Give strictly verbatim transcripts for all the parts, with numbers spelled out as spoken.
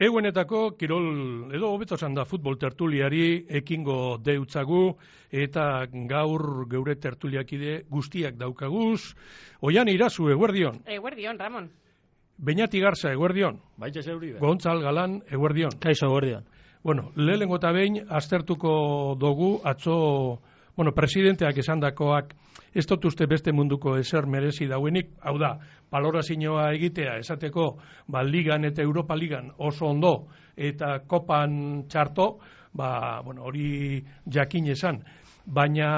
Eguenetako kirol edo hobeto esan da futbol tertuliari ekingo deutzagu eta gaur geure tertuliakide guztiak daukaguz. Oian Irazu, eguerdion. Eguerdion, Ramon. Beñati Garza, eguerdion. Baitxe zeuri. Gontzal Galan, eguerdion. Kaixo, eguerdion. Bueno, lehenengo eta behin aztertuko dugu atzo, bueno, presidenteak esandakoak ez dut uste beste munduko ezer merezi dauenik, hau da, balorazioa egitea, esateko, ba, ligan eta Europa ligan oso ondo, eta kopan txarto, ba, bueno, hori jakin esan. Baina,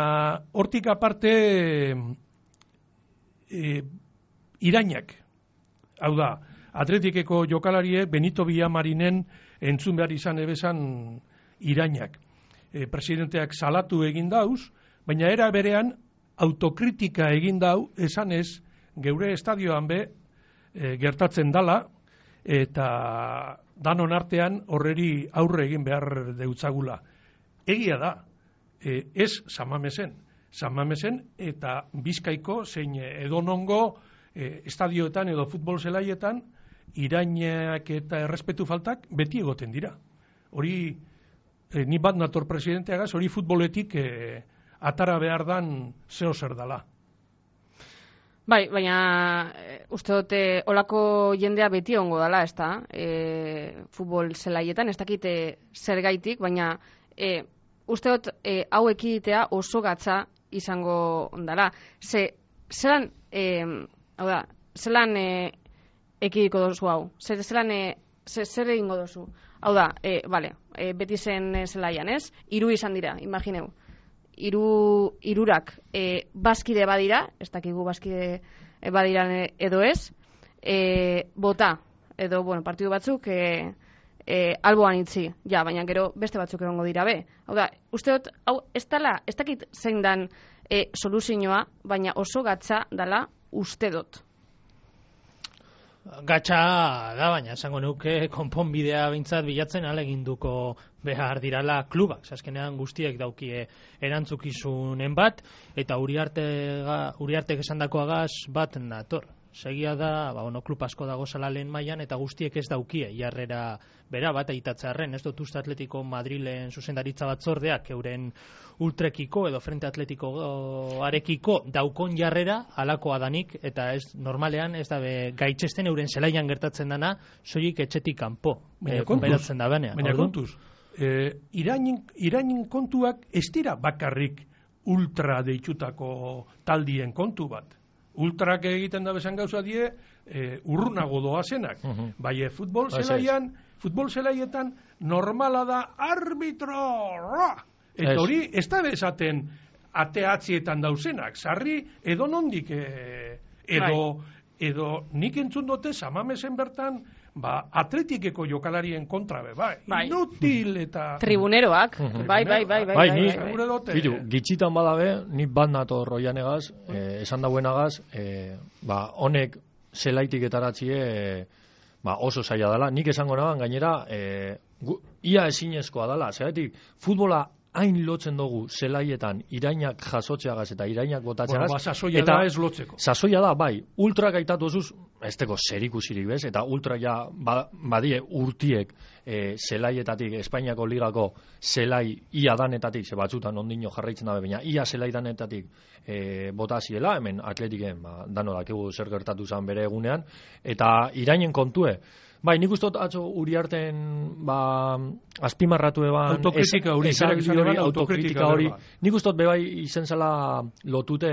hortik aparte, e, irainak, hau da, Atletikeko jokalarie Benito Villamarinen entzun behar izan ebezan irainak. E, presidenteak salatu egin dauz, baina era berean, autokritika egin dau, esan ez, geure estadioan be, e, gertatzen dala, eta danon artean horreri aurre egin behar deutzagula. Egia da, e, ez Samamesen, Samamesen eta Bizkaiko zein edonongo e, estadioetan edo futbol zelaietan, irainak eta errespetu faltak beti egoten dira. Hori, e, ni bat nator presidenteagaz, hori futboletik e, atara behar dan zeo zer dala. Bai, baina e, uste dute olako jendea beti ongo dala, ez da, e, futbol zelaietan, ez dakite zer gaitik, baina e, uste dut e, hau ekiditea oso gatza izango dala. Ze, zelan, e, hau da, zelan e, ekidiko dozu hau, zer, zelan, e, zer, zer egingo dozu. Hau da, e, vale, e, beti zen e, zelaian, ez? Hiru izan dira, imagineu. Hiru hirurak e, bazkide badira, ez dakigu bazkide e, badiran edo ez, e, bota, edo, bueno, partidu batzuk e, e, alboan itzi, ja, baina gero beste batzuk egongo dira be. Hau da, uste dut, hau, ez dala, ez dakit zein dan e, soluzioa, baina oso gatza dala uste dut. Gatxa da, baina esango nuke konponbidea bintzat bilatzen aleginduko behar dirala klubak. Azkenean guztiek daukie erantzukizunen bat, eta Uriarte, Uriartek esandakoagaz bat nator. Segia da, ba, bueno, klub asko dago zala lehen mailan eta guztiek ez daukie jarrera bera bat eitatzearren. Ez dut uste Atletiko Madrilen zuzendaritza batzordeak euren ultrekiko edo frente atletiko arekiko daukon jarrera alakoa danik, eta ez normalean ez dabe gaitzesten euren zelaian gertatzen dana, soilik etxetik kanpo. Baina e, kontuz, baina baina kontuz e, irainen, irainen kontuak ez dira bakarrik ultra deitutako taldien kontu bat. Ultrak egiten da bezan gauza die e, urrunago doazenak. Uh-huh. Bai, futbol zelaian, futbol zelaietan normala da arbitro! Eta hori ez da bezaten ateatzietan dauzenak. Sarri edo nondik e, edo, edo nik entzun dute Samamesen bertan ba, Atletikeko jokalarien kontra be, bai, bai. Inutil eta... Tribuneroak, uh-huh. bai, bai, bai, bai, bai, bai, ni, bai, bai. Bitu, gitxitan badabe, ni bat nato roianegaz, eh, esan dauenagaz, eh, ba, honek zelaitik etaratzie eh, ba, oso zaila dela. Nik esango naban, gainera, eh, gu, ia ezinezkoa dela, zeratik, futbola hain lotzen dugu zelaietan irainak jasotzeagaz eta irainak botatzeagaz. Bueno, ba, sasoia eta da ez lotzeko. Sasoia da, bai, ultrak aitatu zuz, ez teko zerikusirik bez, eta ultrak ja ba, badie urtiek e, zelaietatik, Espainiako ligako zelai ia danetatik, ze batzutan ondino jarraitzen dabe, baina ia zelai danetatik e, botaziela, hemen Atletiken, ba, dano dakigu zer gertatu zen bere egunean, eta irainen kontue, bai, nik ustot atzo Uriarten ba, azpimarratu eban autokritika hori, hori autokritika hori, nik ustot bebai izen zela lotute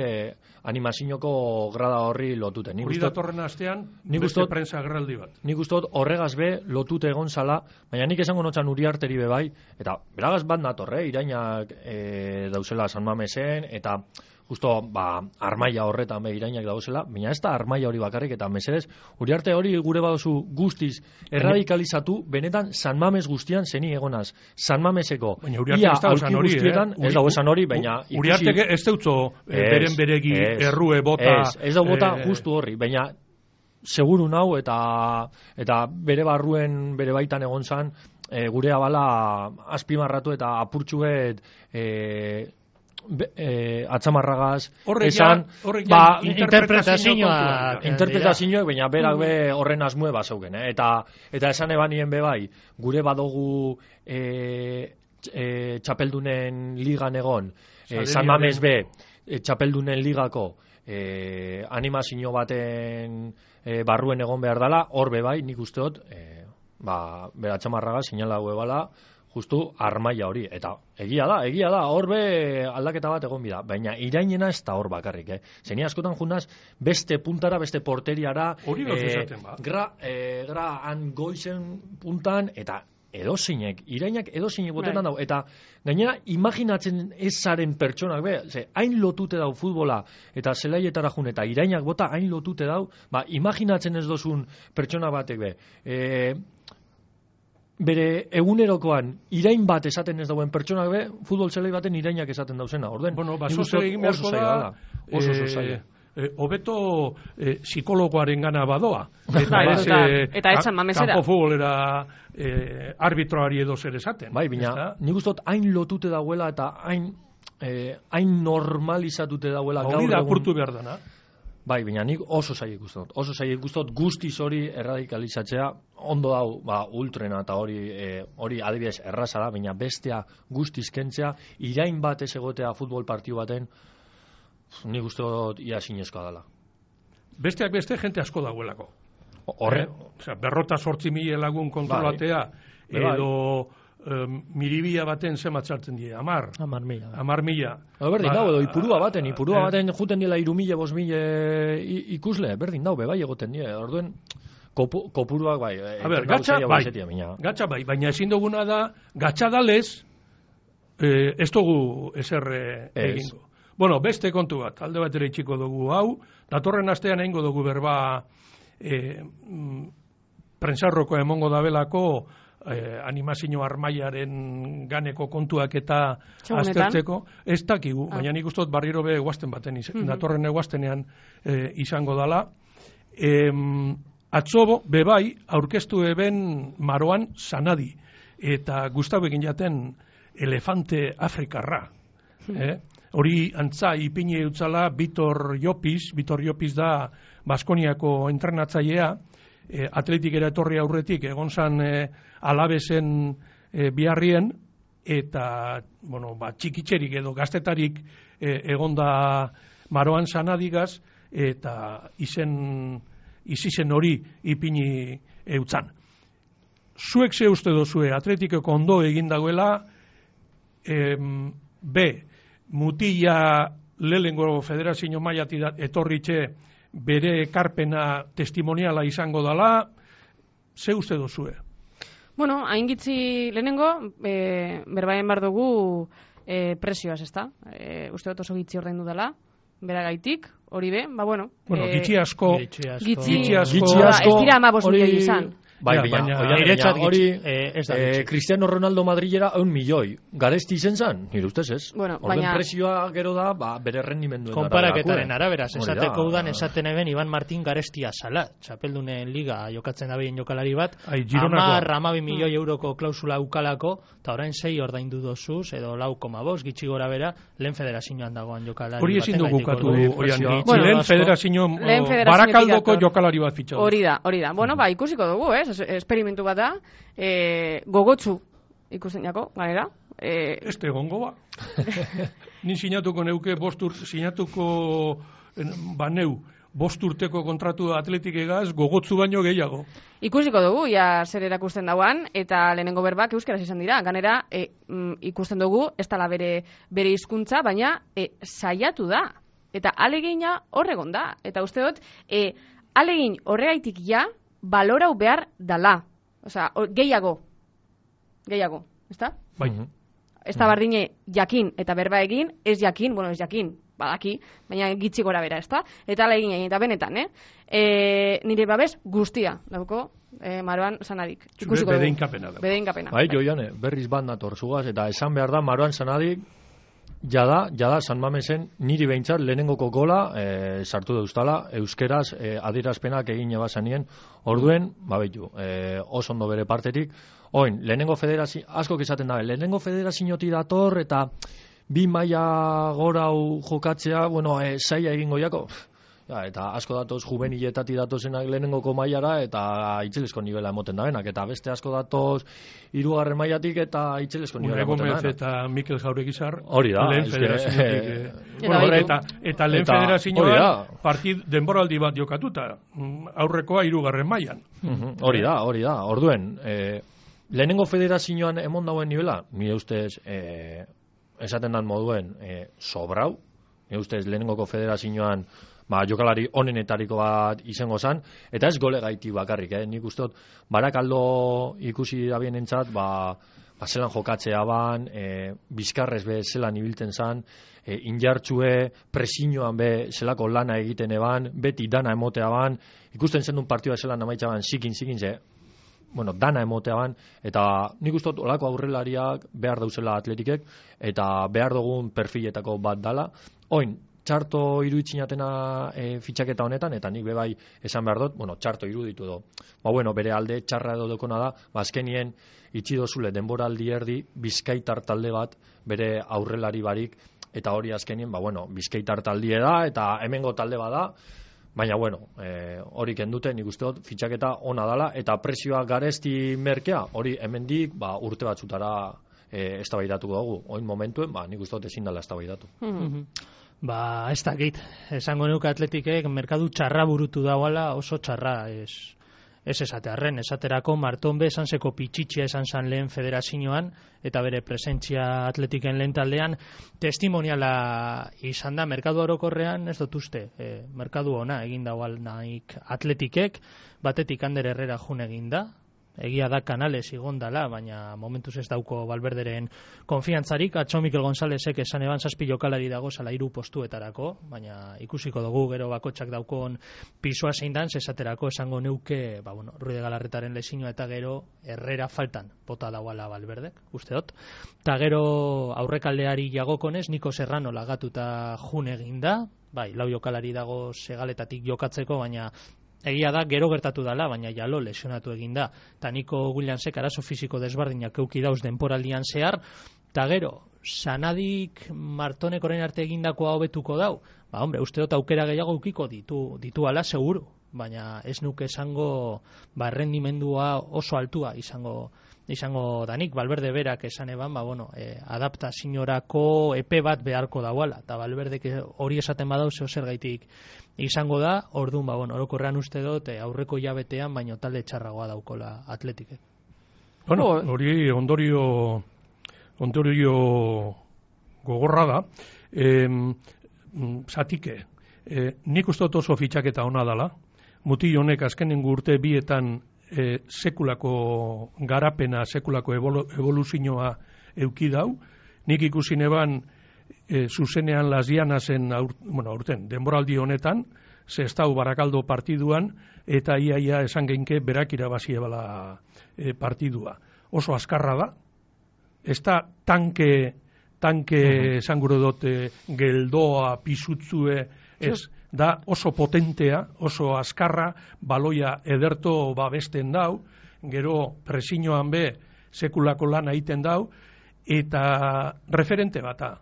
animazinoko grada horri lotute. Hori datorren astean beste prensa agerraldi bat. Nik ustot horregaz be lotute egon zala, baina nik esango notzan Uriarteri bebai, eta beragaz bat natorre, irainak e, dauzela San Mamesen, eta justo, ba, armaia horretan be irainak dauzela, baina ez da armaia hori bakarrik, eta mesedez, Uriarte hori gure baduzu guztiz erradikalizatu, benetan San Mames guztian zeni egonaz. San Mameseko ia aurki guztietan, ez dago esan hori, baina... Uriarte ez deutzo beren beregi errue bota... Ez, ez dago bota justu horri, baina seguru nau eta eta bere barruen, bere baitan egon zan, e, gure abala azpimarratu eta apurtxuet... E, be, e, atzamarragaz, Horrek esan, ja- horrek ja ba, interpretazioa interpretazioa- interpretazioak, baina berak be horren asmue bazeuken, eh? eta eta esan ebanien be bai, gure badogu e, e, txapeldunen ligan egon, e, San Mames be, e, txapeldunen ligako e, animazio baten e, barruen egon behar dela, hor be bai, nik uste dut, e, ba, bera txamarraga, sinala bala, justu armaia hori, eta egia da, egia da, hor be aldaketa bat egon bida, baina irainena ez da hor bakarrik, eh? Zeni askotan junaz, beste puntara, beste porteriara, Hori gauz esaten, ba. gra, e, gra han goizen puntan, eta edozinek, irainak edozinek botetan Bai. dau, eta gainera imaginatzen ezaren pertsonak, be, ze, hain lotute dau futbola, eta zelaietara jun, eta irainak bota hain lotute dau, ba, imaginatzen ez dozun pertsona batek, be, e, bere egunerokoan irain bat esaten ez dauen pertsonak be, futbol zelai baten irainak esaten dauzena, orden? Bueno, nik baso uste dut egin beharko oso zaila da, dela. Oso oso zaila. eh, hobeto eh, psikologoaren gana badoa. Bai, ez, total. eh, Eta ez San Mamesera. Kampo futbolera eh, arbitroari edo zer esaten. Bai, bina, ezta? nik uste dut hain lotute dauela eta hain eh, hain normalizatute dauela Hori gaur da egun. apurtu behar dana. Bai, baina nik oso zaila ikusten dut. Oso zaila ikusten dut guztiz hori erradikalizatzea, ondo dau, ba, ultrena eta hori e, hori adibidez erraza da, baina bestea guztiz kentzea, irain bat ez egotea futbol partiu baten, nik uste dut ia zinezkoa dela. Besteak beste jente asko dagoelako. Horre, Eh? Osea, berrota sortzi mila lagun kontrolatea, Bai. Bai. edo um, miribia baten zemat sartzen die, amar, Amar mila. amar mila. Ba, berdin Ba, dau, edo ipurua baten, ipurua eh, baten juten dila iru mila, bos mila ikusle, berdin dau, bebai egoten die, orduen kopu, kopuruak bai. A ber, gatxa bai, gatxa bai, baina ezin duguna da, gatxa dalez, eh, ez dugu ezer eh, Ez. egingo. Bueno, beste kontu bat, alde bat ere itxiko dugu hau, datorren astean egingo dugu berba eh, mm, prensarroko emongo dabelako eh, animazio armaiaren ganeko kontuak eta Txogunetan. aztertzeko, ez dakigu, Ah. baina nik uste dut barriro be eguazten baten, iz, Mhm. datorren eguaztenean eh, izango dala. Em, atzo bebai aurkeztu eben Maroan Sanadi, eta Gustavo egin jaten elefante afrikarra. Eh? Hori antza ipini utzala Vitor Llopis, Vitor Llopis da Baskoniako entrenatzailea, eh, atletikera etorri aurretik egon zan eh, Alabesen eh, biharrien, eta bueno, ba, txikitxerik edo gaztetarik eh, egonda Maroan Sanadigaz, eta izen izizen hori ipini eutzan. Zuek ze uste dozue atletikeko ondo egin dagoela, em, B, mutila lehengo federazio mailatik etorritxe bere ekarpena testimoniala izango dala, ze uste dozue? Bueno, hain gitzi lehenengo, e, berbaien bar dugu e, presioaz, ezta? E, uste dut oso gitzi ordaindu dela, beragaitik, hori be, ba bueno. Bueno, e, gitxi asko, Gitxi asko. Gitzi, Gitxi asko. Ba, Gitxi asko, ez dira amabos hori- milioi izan. Bai, Ja, baina, baina- oian, Niretzat baina hori gitxi, eh, ez da eh, gitxi. Cristiano Ronaldo Madrilera eun milioi. Garesti izen zan, nire ustez ez. Bueno, Orden baina- presioa gero da, ba, bere rendimenduen Konparaketaren arabera, Hori esateko da. udan esaten eben Iban Martin Garestia sala, txapeldunen liga jokatzen dabien jokalari bat, Ai, Gironakoa. amar, amabi milioi euroko klausula ukalako, eta orain sei ordaindu dozuz, edo lau koma bost, gitxi gora bera, lehen federazioan dagoan jokalari hori ezin dugu batengatik, ukatu, orduan oian, presioa gitxi, Bueno, lehen asko. federazio, Lehen o, federaziotik barakaldoko dator. jokalari bat fitxatu. Hori da, hori da. Bueno, ba, ikusiko dugu, ez? Es- Esperimentu bat da, e, gogotsu ikusten jako, ganera. E, Este egongo ba. Ni sinatuko neuke bostur, sinatuko en, baneu, bost urteko kontratu atletik egaz, gogotzu baino gehiago. ikusiko dugu, ja zer erakusten dauan, eta lehenengo berbak euskeraz izan dira. Ganera, e, mm, ikusten dugu, ez dala bere, bere hizkuntza, baina e, saiatu da. Eta alegina horregon da. Eta uste dut, e, alegin horregaitik ja, balorau behar dala. Osea, o- gehiago. Gehiago, ezta? Bai. Mhm. Ez da bardine jakin eta berba egin, ez jakin, bueno, ez jakin, badaki, baina gitxi gora bera, ezta? Eta ala egin, eta benetan, eh? E, nire babes guztia, dauko, e, Maroan Sanadik. Zure Ikusiko dugu. bedeinkapena da. Bedeinkapena. Bai, joiane, berriz bat nator zugaz, eta esan behar da, Maroan Sanadik, jada, jada, San Mamesen niri behintzat lehenengoko gola e, sartu deuztala, euskeraz e, adierazpenak egin ebazanien, orduen, babetu, e, oso ondo bere partetik, oin, lehenengo federazio, asko izaten da, lehenengo federaziotik dator, eta bi maila gorau jokatzea, bueno, e, zaila egingo jako. Ja, eta asko datoz juveniletatik datozenak lehenengoko mailara eta itzelesko nivela emoten da benak, eta beste asko datoz hirugarren mailatik eta itzelesko nivela emoten da benak. Eta Mikel Jauregizar hori da, lehen federaziotik. Eta, eta lehen federazioan partid denboraldi bat jokatuta, aurrekoa hirugarren mailan. Hori da, hori da. Orduen, e, lehenengo federazioan emon dauen nivela, nire ustez, e, esaten dan moduen, e, sobrau, nire ustez lehenengoko federazioan ba, jokalari onenetariko bat izango zan, eta ez gole gaiti bakarrik, eh? Nik uste dut, barakaldo ikusi da bienentzat, ba, ba zelan jokatzea ban, e, bizkarrez be zelan ibilten zan, e, injartxue, presiñoan be zelako lana egiten eban, beti dana emotea ban, ikusten zen duen partioa zelan amaitza ban, zikin, zikin, ze, bueno, dana emotea ban, eta nik uste dut, olako aurrelariak behar dauzela atletikek, eta behar dugun perfiletako bat dala, oin, txarto iruditzinatena e, fitxaketa honetan, eta nik bebai esan behar dut, bueno, txarto iruditu do. Ba, bueno, bere alde txarra edo dokona da, ba, azkenien itxidozule denboraldi erdi bizkaitar talde bat bere aurrelari barik, eta hori azkenien, ba, bueno, bizkaitar taldie da, eta hemengo talde bada, baina, bueno, e, hori kendute, nik uste dut, fitxaketa ona dala, eta presioa garesti merkea, hori hemendik, ba, urte batzutara e, eztabaidatuko dugu. Oin momentuen, ba, nik uste dut ezin dela eztabaidatu. Mm-hmm. Ba, ez dakit, esango nuke atletikek merkadu txarra burutu dauala, oso txarra, ez, ez esatearren, esaterako Martonbe esanseko pitxitxia esan zan lehen federazioan, eta bere presentzia atletiken lehen taldean, testimoniala izan da, merkadu orokorrean, ez dut uste, e, merkadu ona egin daual naik atletikek, batetik Ander Herrera jun egin da, egia da Kanales igondala, baina momentuz ez dauko Valverderen konfiantzarik, atzo Mikel Gonzálezek esan eban zazpi jokalari dago zala hiru postuetarako, baina ikusiko dugu gero bakotxak daukon pisua zein dan, esaterako esango neuke, ba bueno, Ruide Galarretaren lesinua eta gero Herrera faltan bota dauala Valverdek, uste dut. Ta gero aurrekaldeari jagokonez, Niko Serrano lagatuta jun egin da, bai, lau jokalari dago segaletatik jokatzeko, baina egia da, gero gertatu dala, baina jalo lesionatu egin da. Ta Niko Williamsek arazo fisiko desberdinak euki dauz denporaldian zehar, ta gero, sanadik Martonek orain arte egindakoa hobetuko dau, ba, hombre, uste dut aukera gehiago eukiko ditu, ditu ala seguru, baina ez nuke esango, ba, errendimendua oso altua izango izango danik, Valverde berak esan eban, ba, bueno, e, adaptazioarako epe bat beharko dauala, eta Valverdek hori esaten badau zeo zergaitik izango da, orduan, ba, bueno, orokorrean uste dut, e, aurreko jabetean, baino talde txarragoa daukola atletik. Bueno, hori ondorio ondorio gogorra da, e, zatike, e, nik uste dut oso fitxaketa ona dala, mutil honek azkenengo urte bietan E, sekulako garapena, sekulako evolu, evoluzioa euki dau. Nik ikusi neban e, zuzenean Lasdiana zen aur, bueno, aurten, denboraldi honetan, ze ez dau Barakaldo partiduan, eta iaia esan geinke berak irabazie bala e, partidua. Oso azkarra da, ez da tanke, tanke uh-huh. esan gure dote geldoa, pisutzue, ez, da oso potentea, oso azkarra, baloia ederto babesten dau, gero presiñoan be sekulako lana egiten dau, eta referente bata.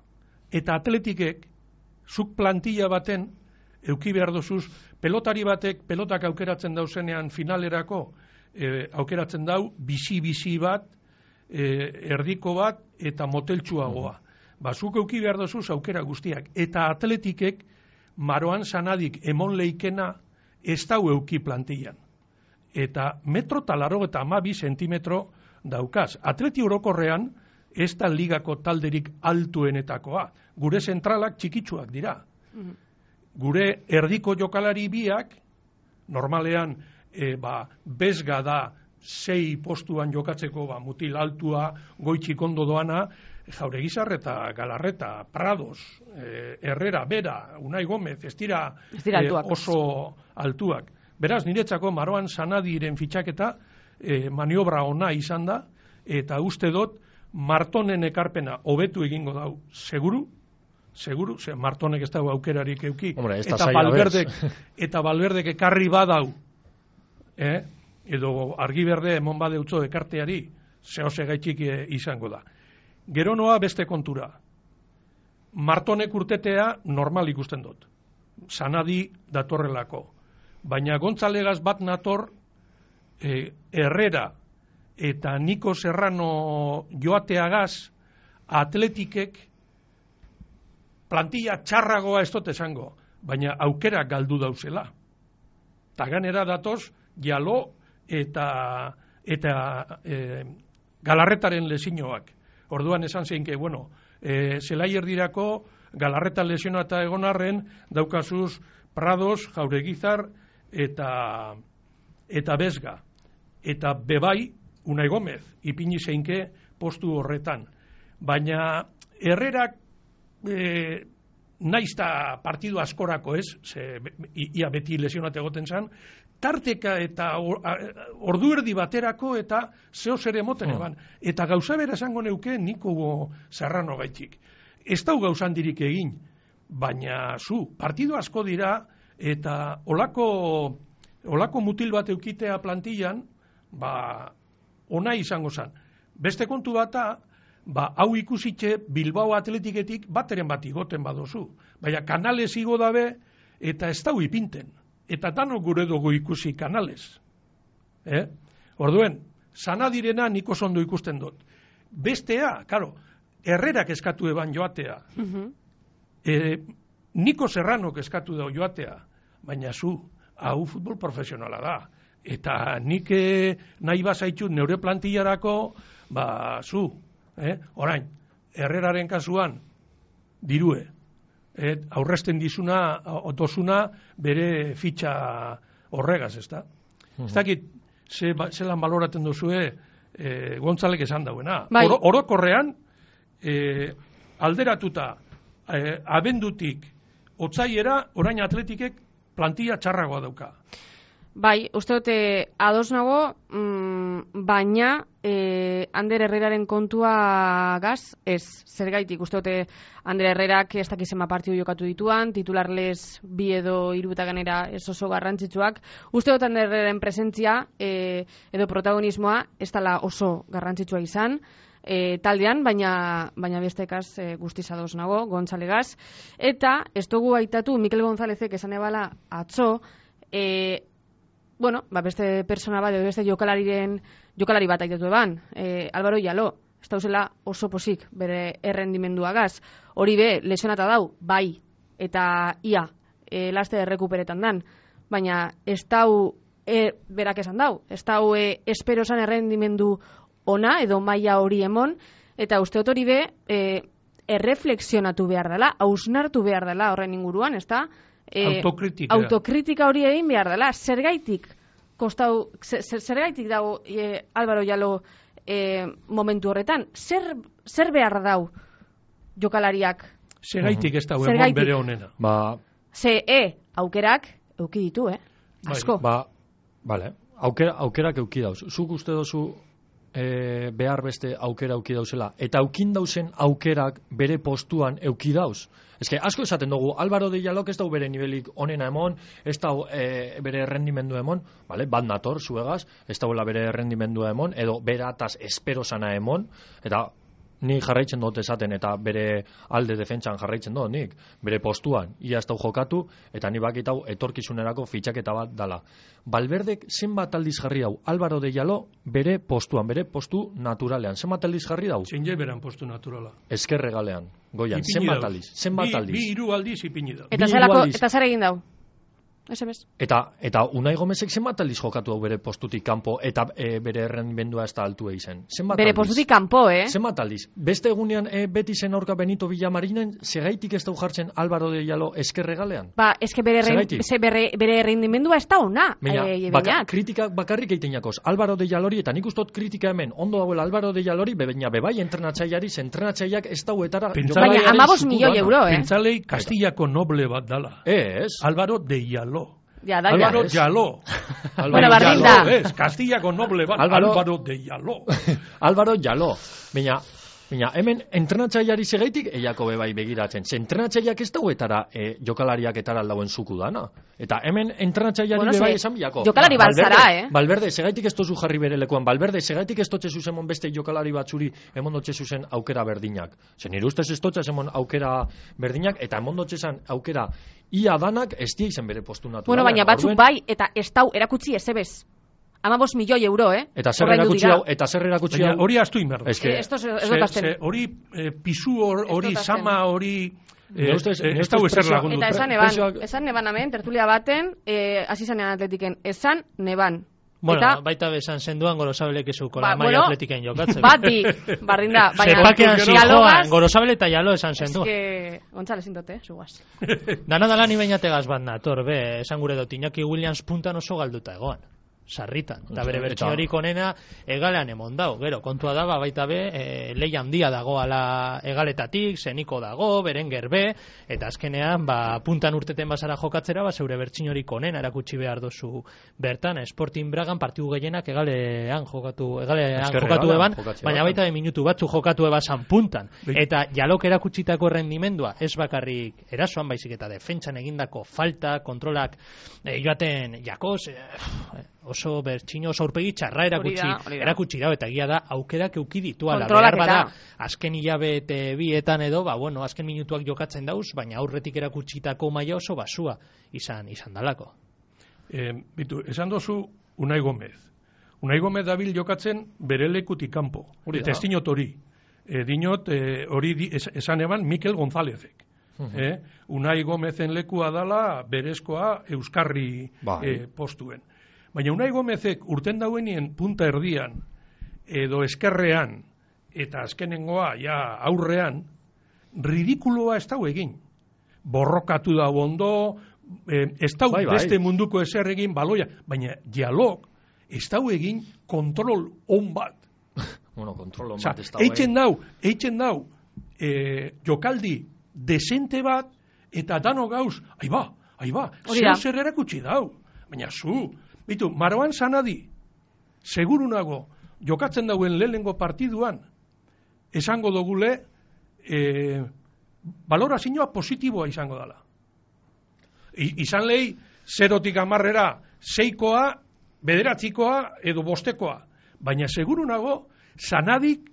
Eta atletikek, zuk plantilla baten, euki behar dozuz, pelotari batek, pelotak aukeratzen dauzenean finalerako, e, aukeratzen dau, bizi-bizi bat, e, erdiko bat, eta moteltsuagoa. Ba, zuk euki behar dozuz aukera guztiak. Eta atletikek, maroan sanadik emon leikena ez dau euki plantillan. Eta metro talaro eta amabi sentimetro daukaz. Atleti orokorrean ez da ligako talderik altuenetakoa. Gure zentralak txikitsuak dira. Mm-hmm. Gure erdiko jokalari biak, normalean e, ba, bezga da sei postuan jokatzeko ba, mutil altua, goitxik ondo doana, Jauregizar eta Galarreta, Prados, eh, Herrera, Bera, Unai Gomez, ez dira, ez dira eh, oso altuak. Beraz, niretzako Maroan Sanadiren fitxaketa eh, maniobra ona izan da, eta uste dut Martonen ekarpena hobetu egingo dau, seguru, seguru, ze Martonek ez dago aukerarik euki, Hombre, eta Valverdek, eta Valverdek ekarri badau, eh? edo argi berde emon badeutzo ekarteari, zehose gaitxik izango da. Gero noa beste kontura. Martonek urtetea normal ikusten dut. Sanadi datorrelako. Baina Gontzalegas bat nator e, Herrera eta Niko Serrano joateagaz Atletikek plantilla txarragoa ez dut esango, baina aukera galdu dauzela. Ta ganera datoz Jalo eta eta e, Galarretaren lesinoak. Orduan esan zeinke, bueno, e, zelai erdirako Galarreta lesionata egon arren daukazuz Prados, Jauregizar eta eta Bezga. Eta bebai Unai Gomez ipini zeinke postu horretan. Baina Herrerak e, naizta partidu askorako ez, ze, ia beti lesionate egoten zan, tarteka eta or, ordu erdi baterako eta zeo zer emoten eban. Eta gauza bera esango neuke Niko Serrano gaitik. Ez dau gauzandirik egin, baina zu, partidu asko dira eta olako, olako mutil bat eukitea plantillan, ba, ona izango zan. Beste kontu bata, ba, hau ikusitxe Bilbao Atletiketik bateren bat igoten badozu. Baina Kanales igo dabe eta ez dau ipinten. Eta danok gure dugu ikusi Kanales. Eh? Orduen, Sanadirena niko zondo ikusten dut. Bestea, karo, Herrerak eskatu eban joatea. Uh-huh. E, Niko Serranok eskatu da joatea. Baina zu, hau futbol profesionala da. Eta nik nahi bazaitxut neure plantillarako, ba, zu, eh? Orain, Herreraren kasuan, dirue. Et, aurresten dizuna, otosuna, bere fitxa horregaz, ez da? Uh-huh. Ez dakit, ze, zelan baloraten duzue, e, Gontzalek esan dauena. Bai. Oro, orokorrean, e, alderatuta, e, abendutik, otzaiera, orain Atletikek plantilla txarragoa dauka. Bai, uste dute ados nago, mm, baina e, Ander Herreraren kontua gaz, ez, zergaitik, uste dute Ander Herrerak ez dakizema partidu jokatu dituan, titularles bi edo hiru eta ganera ez oso garrantzitsuak. Uste dut Ander Herreraren presentzia e, edo protagonismoa ez dela oso garrantzitsua izan, E, taldean, baina, baina bestekaz e, guztiz ados nago, Gontzalegaz. Eta, ez dugu aitatu, Mikel Gonzalezek esan ebala atzo, e, bueno, ba beste persona bat, beste jokalariren, jokalari bat aitatu eban, e, Álvaro Jalo, ez dauzela oso posik bere errendimenduagaz. Hori be, lesionata dau, bai, eta ia, e, laste errekuperetan dan, baina ez dau, e, berak esan dau, ez dau e, espero esan errendimendu ona edo maila hori emon, eta uste hori be, e, erreflexionatu behar dela, hausnartu behar dela horren inguruan, ez da? E, autokritika. Autokritika hori egin behar dela, zergaitik kostau, zergaitik dago e, Álvaro Jalo e, momentu horretan, zer, zer behar dau jokalariak? Zergaitik ez dago emon bere honena. Ba, Ze, e, aukerak euki ditu, eh? Asko. Ba, vale, aukera, aukerak euki dauz. Zuk uste dozu E, behar beste aukera auki dauzela. Eta aukin dauzen aukerak bere postuan euki dauz. Ez que asko esaten dugu, Álvaro de Jalok ez dau bere nivelik onena emon, ez dau e, bere errendimendu emon, vale? Bat nator, zuegaz, ez dauela bere errendimendu emon, edo berataz espero sana emon, eta ni jarraitzen dut esaten, eta bere alde defentsan jarraitzen dut, nik, bere postuan, ia ez dau jokatu, eta ni bakitau etorkizunerako fitxaketa bat dala. Valverdek zenbat aldiz jarri dau, Álvaro de Jalo bere postuan, bere postu naturalean, zenbat aldiz jarri dau? Zein beran postu naturala. Eskerregalean, goian, zenbat aldiz, zenbat aldiz. Bi hiru aldiz ipini dau. Eta zelako, eta zer egin dau? S M S. Eta, eta Unai Gomezek zenbat aldiz jokatu hau bere postutik kanpo eta e, bere errendimendua ez da altu eizen. Zenbat bere aldiz? Postutik kanpo, eh? Zenbat aldiz? Beste egunean e, beti zen aurka Benito Villamarinen, segaitik ez dau jartzen Álvaro de Jalo eskerregalean? Ba, eske bere, bere, bere errendimendua ez da ona. Baina, e, baka, kritika bakarrik egiten jakoz. Álvaro de Jalori, eta nik ustot kritika hemen, ondo dagoela Álvaro de Jalori, bebaina bebai entrenatzaileari, entrenatzaileak ez dauetara... Baina, amabos milioi euro, eh? Pentzalei Kastillako noble bat dala. Ez. Álvaro de Jalo. Ja, da, Álvaro ja. Jalo. Bueno, bardin da. Es, Castillako noble bat, Álvaro, Álvaro de Jalo. Álvaro Jalo. Baina, Baina, hemen entrenatzaileari segaitik eiako bebai begiratzen. Ze entrenatzaileak ez dauetara e, jokalariak etara aldauen zuku dana. Eta hemen entrenatzaileari bueno, bebai se, esan biako. jokalari baltzara, eh? Balberde, segaitik ez tozu jarri bere lekuan. Balberde, segaitik ez totxe zuzen beste jokalari batzuri emondotxe zuzen aukera berdinak. Zer nire ustez ez totxe emon aukera berdinak, eta emondotxe zan aukera ia danak ez dia izen bere postu naturala. Bueno, baina batzuk Orduen, bai, eta ez dau erakutsi ezebez. Amabos milioi euro, eh? Eta zer erakutsi hau, eta zer erakutsi hau. Hori astu inberdu. Es que, Eh, esto ez dut azten. Hori eh, pisu hor- hori, sama hori... Ne ustez- ne ez dau ustez ezer presioa- lagundu. Eta esan Presioak- neban, esan neban hemen, tertulia baten, eh, hasi zanean atletiken, esan neban. Bueno, Eta, baita bezan zenduan gorosabelek ezuko Ba, la maia bueno, atletiken jokatzen. bati, bardinda, baina... Zepakean dialogaz, zijoan, gorosabele eta jalo esan Es zenduan. que, Gontzales indote, zugaz. Dana dala ni bainategaz bat nator, be, esan gure dut, Iñaki Williams puntan oso galduta egoan. Sarritan. Eta bere Eta- bertsiorik onena egalean emon dau. Gero, kontua da, ba, baita be, e, lehi handia dagoala egaletatik, zeniko dago, berenger be, eta azkenean, ba, puntan urteten bazara jokatzera, ba, zeure bertsiorik onena erakutsi behar dozu bertan, Sporting Bragan partidu gehienak egalean jokatu, egalean Ezker jokatu egalean eban, jokatze baina bat. baita be minutu batzu jokatu ebasan puntan. Bai. Eta jalok erakutsitako rendimendua, ez bakarrik erasoan, baizik eta defentsan egindako falta, kontrolak, e, joaten jakos, e, oso bertxino, oso aurpegi txarra erakutsi, Hori da, hori da. erakutsi da, eta egia da, aukerak euki dituala, Kontrolak behar bada, eta. azken hilabete bietan edo, ba, bueno, azken minutuak jokatzen dauz, baina aurretik erakutsitako maila oso basua izan izan dalako. Eh, bitu, esan dozu Unai Gomez. Unai Gomez dabil jokatzen bere lekutik kanpo. Hori Eta da. ez dinot hori. E, dinot eh, hori di, es, esan eban Mikel Gonzálezek. eh? Unai Gomezen lekua dala berezkoa Euskarri Bai. eh, postuen. Baina Unai Gomezek urten dauenien punta erdian edo eskerrean eta azkenengoa ja aurrean ridikuloa ez dau egin. Borrokatu da ondo, eh, ez dau Bai, bai. beste munduko ezer egin baloia, baina dialog ez dau egin kontrol on bat. Bueno, kontrolo Osa, bat ez da. eitzen dau, eitzen dau eh, jokaldi desente bat eta dano gauz, aiba, aiba, Hori da. zer zer erakutsi dau. Baina zu, bitu, Maroan Sanadi, seguru nago, jokatzen dauen lehenengo partiduan, esango dogule, eh, balorazioa positiboa izango dela. I, izan lehi, zerotik amarrera, seikoa, bederatzikoa edo bostekoa. Baina seguru nago, Sanadik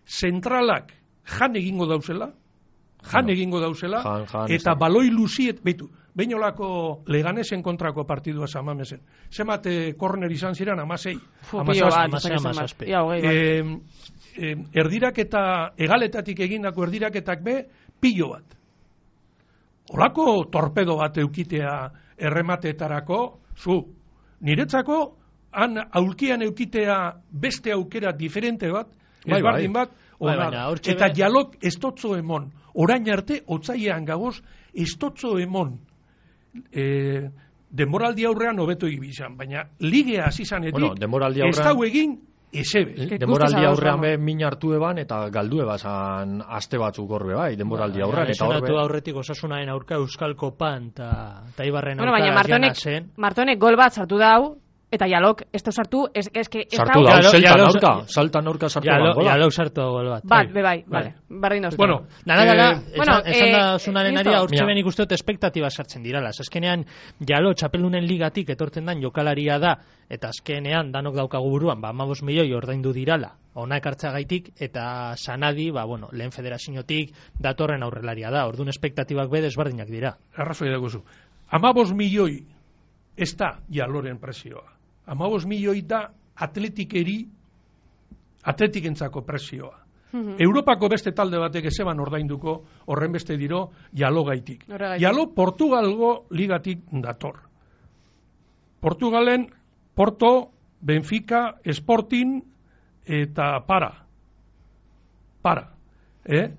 zentralak jan egingo dauzela, jan No. egingo dauzela, Jan, jan, eta ez da. baloi luziet, behitu, behin olako Leganesen kontrako partidua zamamezen. Zemate korner izan ziren, amasei. Fu, Amazazpi. pilo bat, Hamasei, ez dakit hamazazpi. zenbat. Ia, hogei, bai. Eh, eh, erdirak eta egaletatik egindako erdiraketak be, pilo bat. Olako torpedo bat eukitea erremateetarako, zu, niretzako, han aulkian eukitea beste aukera diferente bat, Bai, ezbardin bai. bat, Bai, ona baina da. hortxe Eta be- jalok estotzo emon, orain arte, otzailean gagoz, estotzo emon, e, denboraldi aurrean hobeto ibizan, baina ligea hasi zanetik, Bueno, denboraldi ez aurrean- dau egin, esebe. Denboraldi guztiz aurrean ados, be min hartu eban eta galdu ebazan aste batzuk horbe bai, denboraldi aurrean eta Lesionatu horbe. aurretik Osasunaren aurka Euskal Kopan eta ta Ibarren Bueno, aurka baina Jana Martonek, zen. Martonek gol bat sartu dau, eta jalok, ez da sartu, ez, ez, que, ez Sartu dau- da, Jalo- zeltan jalo- aurka, saltan aurka sartu Ya da. lo, ya lo sartu gol bat. Bat, Bai. be bai, vale, bardin dauzte. Bueno, Nada, dala, Eh, bueno, esan, esan eh, da zunaren ari listo. aurtxe Mira. benik uste dut espektatiba sartzen dirala. Azkenean, jalo, txapelunen ligatik etortzen dan jokalaria da, eta azkenean danok daukagu buruan, ba, amabos milioi ordaindu dirala, ona ekartzagaitik, eta Sanadi, ba, bueno, lehen federaziotik datorren aurrelaria da, orduan espektatibak be desberdinak dira. arrazoi dagozu. Amabos milioi ez da jaloren presioa. Amabos milioi da atletikeri, atletikentzako presioa. Mhm. Europako beste talde batek ezeban ordainduko horren beste diro jalogaitik. Horregaitik. Jalo Portugalgo ligatik dator. Portugalen Porto, Benfica, Sporting eta para. Para. Eh?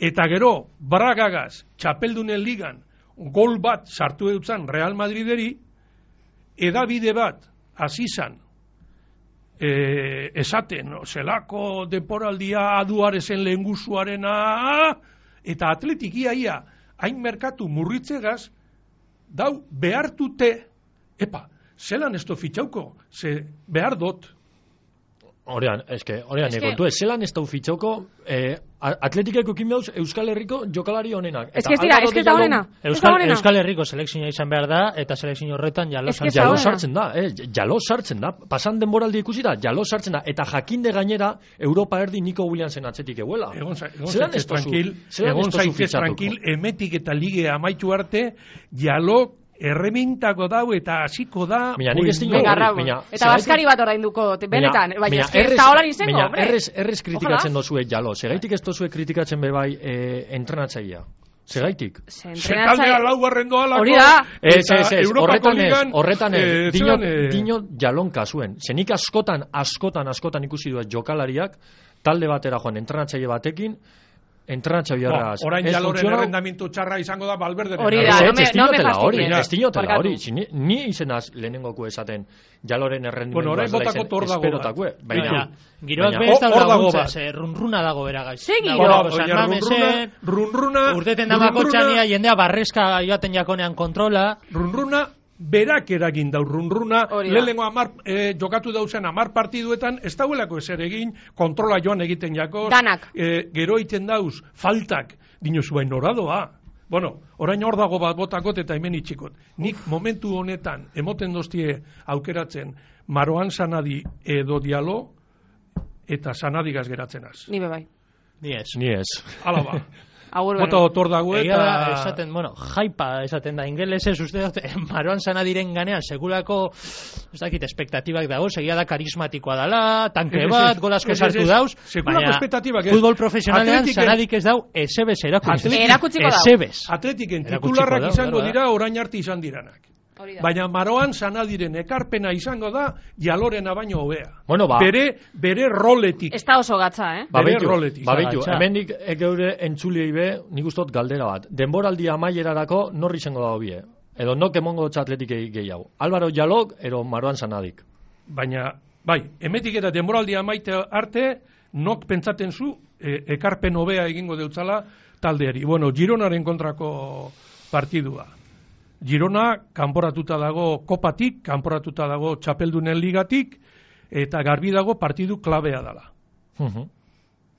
Eta gero, Bragagaz, txapeldunen ligan, gol bat sartu eutzan Real Madrideri, edabide bat, azizan, e, esaten, no, zelako deporaldia aduarezen lehenguzuarena, eta atletikia ia, hain merkatu murritzegaz, dau behartute, epa, zelan esto fitxauko, ze behar dot. Orean, eske, orean, Eske- kontu ez, zelan ez dau fitxoko, eh, atletikeko ekin dauz Euskal Herriko jokalari honenak. Ez que ez dira, ez que ez da honena. Ez da Euskal, honena. Euskal Herriko selekzioa izan behar da, eta selekzio horretan jalo Ez que ez sartzen da Jalo honena. sartzen da, eh, jalo sartzen da. Pasan denboraldi ikusi da, jalo sartzen da. Eta jakinde gainera, Europa erdi Nico Williamsen atzetik eguela. Egon, za- egon Zelan zaitez ez tozu- tranquil, zelan ez egon tozu zaitez fitxatuko? tranquil, emetik eta lige amaitu arte, jalo erremintako dau eta hasiko da. Baina nik ez pues, dino Venga, hori, Raúl. baina, Eta zergatik- Baskari bat orainduko, te- benetan, Baina- baina baina ez que ez errez- da holan izango, baina hombre. errez, errez kritikatzen Ojalá. dozue jalo. Segaitik ez dozue kritikatzen be bai eh, entrenatzailea. Segaitik. Se Sekaldea entrenatzaile- laugarren doalako. Hori da. Ez, eta ez, ez, Europako horretan ez, ligan, horretan ez, eh, dino, zelan, eh, dino jalon kasuen. Zenik askotan, askotan, askotan ikusi duet jokalariak, talde batera joan, entrenatzaile batekin, entrenatzaile Bo, horraz. orain ez jaloren funtzionau- errendamiento txarra izango da Valverde. Hori da, Ez, no ez, me- ez no me dinotela hori, fastidies. ez dinotela Barkatu. hori. Si Ni, ni izenaz lehenengoko esaten jaloren errendimendu Bueno, orain botako tor dago esperotakue. Baina, Baina, giroak baina- be ez Hor- da hor dago laguntza, bat. ze runruna dago bera gaiz. Ze giro? Bueno, Dago San oia, Mamesen, runruna, runruna, urteten damako runruna- txania, jendea barrezka joaten jakonean kontrola, Runruna berak eragin dau runruna, Hori da. lehenengo amar, eh, jokatu dauzen amar partiduetan, ez dauelako ezer egin, kontrola joan egiten jakoz, Danak. eh, gero egiten dauz, faltak, dinozu bain noradoa. Bueno, orain hor dago bat botakot eta hemen itxikot. Nik momentu honetan, emoten doztie aukeratzen, Maroan Sanadi edo Dialo, eta Sanadigaz geratzen az. Ni be bai. ni ez. Ni ez. Hala ba. Agur Bota bere. otor dago Egia da, eta... esaten, bueno, jaipa esaten da ingelesez, uste dut, Maroan Sanadiren ganean, segurako, ez dakit, espektatibak dago, egia da karismatikoa dela, tanke Ez, ez, bat, ez, gol asko ez, ez, sartu ez. dauz, Sekulako baina espektatibak ez. futbol profesionalean Atletiken- Sanadik ez dau, esebes erakutsi. Atletik- Erakutsiko dau. Esebes. Atletiken Erakutsiko titularrak da, izango claro, dira orain arte izan diranak. Hori da. Baina Maroan Sanadiren ekarpena izango da Jalorena baino hobea. Bueno, ba- Bere, bere roletik. Ez da oso gatza, eh? Ba- Bere Babeitu, roletik. babeitu. Zagaltza. Hemendik e geure entzuliei be, nik ustot galdera bat. Denboraldi amaierarako norri izango dago bie. Edo nok emongo atletikei gehiago. Álvaro Jalok, ero Maroan Sanadik. Baina, bai, emetik eta denboraldi amaite arte, nok pentsaten zu, e, ekarpen hobea egingo deutzala taldeari. Bueno, Gironaren kontrako partidua. Girona kanporatuta dago kopatik, kanporatuta dago txapeldunen ligatik, eta garbi dago partidu klabea dala. Mhm.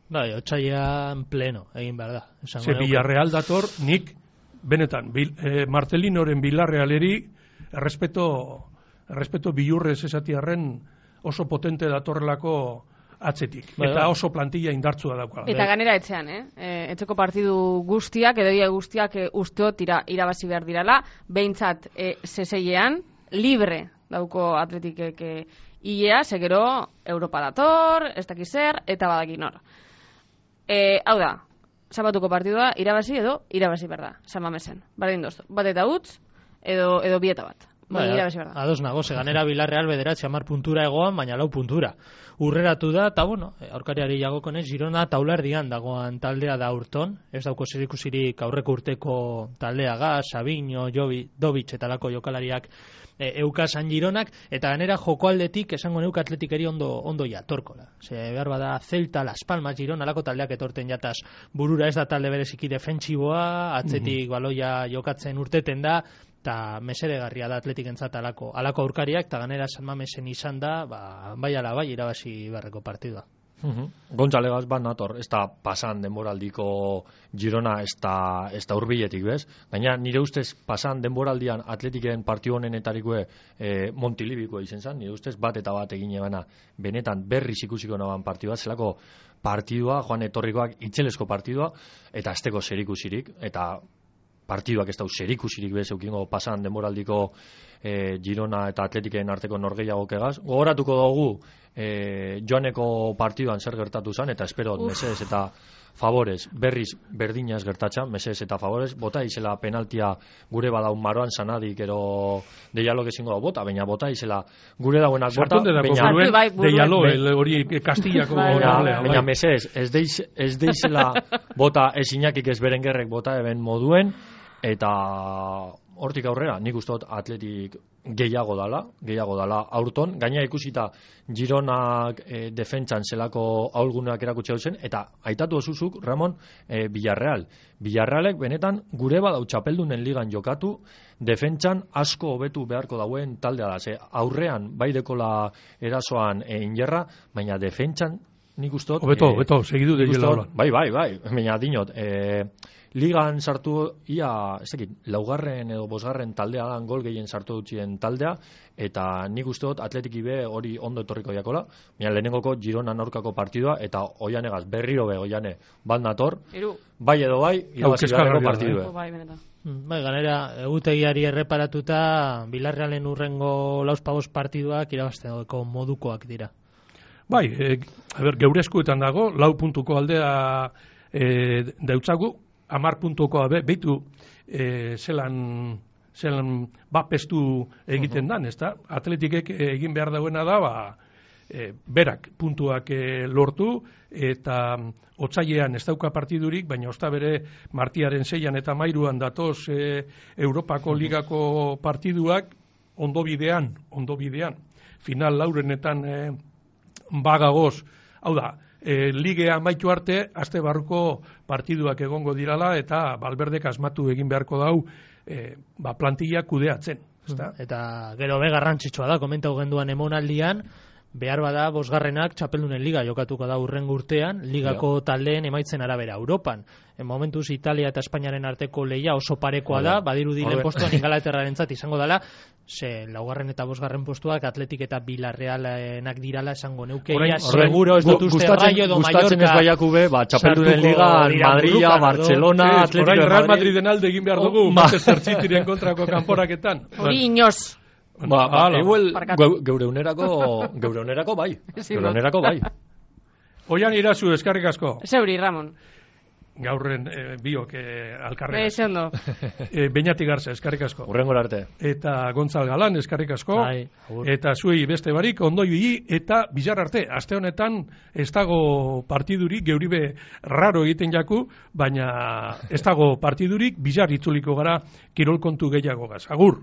Bai, otsailean pleno, egin behar da. esango Ze nuke. Villarreal dator, nik, benetan, bil, eh, Martelinoren Villarrealeri, errespeto, errespeto bilurrez esatiarren oso potente datorrelako atzetik. Bai, eta bai. oso plantilla indartsua daukala. Eta ganera etxean, eh? E, etxeko partidu guztiak, edo ia guztiak e, usteot ira, irabazi behar dirala, behintzat e, zeseilean, libre dauko atletikek e, ilea, segero Europa dator, ez dakiz zer, eta badakin hor. E, hau da, sabatuko partidua, irabazi edo irabazi behar da, San Mamesen. Bardin doztu, bat eta utz, edo, edo bieta bat. Bai, Baina irabazi behar da. ados nago, ze ganera Villarreal bederatzi hamar puntura egoan, baina lau puntura. Urreratu da, eta bueno, aurkariari jagokonez, Girona taulardian dagoan taldea da urton, ez dauko zerikusirik aurreko urteko taldea ga, Sabino, Jovi, Dovic eta lako jokalariak e, eukasan Gironak, eta ganera jokoaldetik esango neuk atletikeri ondo, ondo jatorkola. Ze behar bada Celta, Las Palmas, Girona, lako taldeak etorten jataz burura, ez da talde bereziki defentsiboa, atzetik baloia jokatzen urteten da, eta mesedegarria da atletikentzat alako, alako aurkariak, eta ganera San Mamesen izan da, ba, bai ala bai, irabazi beharreko partidua. Mhm. Gontzalegas bat nator, ez da pasan denboraldiko Girona, ez da, ez da urbiletik, bez? Gaina nire ustez pasan denboraldian atletiken partio honenetarikoe e, Montilibikoa izen zen, nire ustez bat eta bat egin ebana benetan berriz ikusiko naban partidua, zelako partidua, joan etorrikoak itzelesko partidua, eta azteko zerikusirik, eta partiduak ez dau zerikusirik bez eukingo pasan denboraldiko e, Girona eta Atletiken arteko norgehiagok egaz. Gogoratuko dugu e, joaneko partiduan zer gertatu zen, eta espero mesedez eta favorez, berriz berdinaz gertatxan, mesedez eta favorez, bota izela penaltia gure badaun Maroan Sanadik ero deialok ezingo da bota, baina bota izela gure dauenak bota, Sartunde dako baina, buruen, Bai, buruen. de Jalo, el, hori Kastillako Bai, baina, golealea, bai. baina mesedez, ez deiz, ez deizela bota ez inakik ez berengerrek bota eben moduen, eta hortik aurrera, nik uste dut Atletik gehiago dala, gehiago dala aurton, gaina ikusita Gironak e, defentsan zelako aulgunak erakutsi zen, eta aitatu osuzuk, Ramon, e, Villarreal. Villarrealek benetan gure badau txapeldunen ligan jokatu, defentsan asko hobetu beharko dauen taldea da, ze aurrean bai dekola erasoan e, injerra, baina defentsan nik ustot... Hobeto, hobeto, segidu de jela. Bai, bai, bai, baina dinot, e, ligan sartu ia, ez dakit, laugarren edo bosgarren taldea dan gol gehien sartu dutxien taldea, eta nik uste dut atletiki be hori ondo etorriko jakola, baina lehenengoko Girona aurkako partidua, eta oianegaz berriro be oiane bat nator, bai edo bai, irabazi beharreko partidue. Bai, benetan. Bai, ganera, egutegiari erreparatuta, Bilarrealen urrengo lauzpagos partiduak irabazteko modukoak dira. Bai, e, a ber, geure eskuetan dago, lau puntuko aldea e, deutzagu, amar puntukoa be, behitu e, zelan, zelan bapestu egiten dan, ezta? Atletikek egin behar dauena da, ba, e, berak puntuak e, lortu, eta otsailean ez dauka partidurik, baina osta bere martiaren zeian eta mairuan datoz e, Europako ligako partiduak ondo bidean, ondo bidean. Final laurenetan e, bagagoz, hau da, e, ligea amaitu arte, aste barruko partiduak egongo dirala, eta Valverdek asmatu egin beharko dau, e, ba, plantilla kudeatzen. Ezta? Eta gero be garrantzitsua da, komentau genduan emonaldian, behar bada bosgarrenak txapeldunen liga jokatuko da urrengo urtean, ligako ja. Taldeen emaitzen arabera Europan. En momentuz Italia eta Espainiaren arteko lehia oso parekoa da, badiru diren postuan Ingalaterrarentzat izango dela, ze laugarren eta bosgarren postuak Atletik eta Villarrealenak dirala esango neuke, ia seguro ez dut uste Rayo edo Mallorca. Gustatzen ez baiaku be, ba, txapeldunen liga, Madria, Barcelona, Atletico de Madrid. Real Madriden alde egin behar dugu, Manchester Cityren kontrako kanporaketan. Hori inoz. Ba, ba, igual, geure unerako, geure unerako bai. Geure unerako bai. Oian irazu, eskarrik asko. Zeuri, Ramon. Gaurren e, biok e, alkarrega. Eze ondo. E, Beñati Garza, eskarrik asko. Urrengor arte. Eta Gontzal Galan, eskarrik asko. Ai, eta zuei beste barik, ondo ibili, eta bizar arte. Aste honetan, ez dago partidurik, geuribe raro egiten jaku, baina ez dago partidurik, bizar itzuliko gara kirol kontu gehiago gaz. Agur!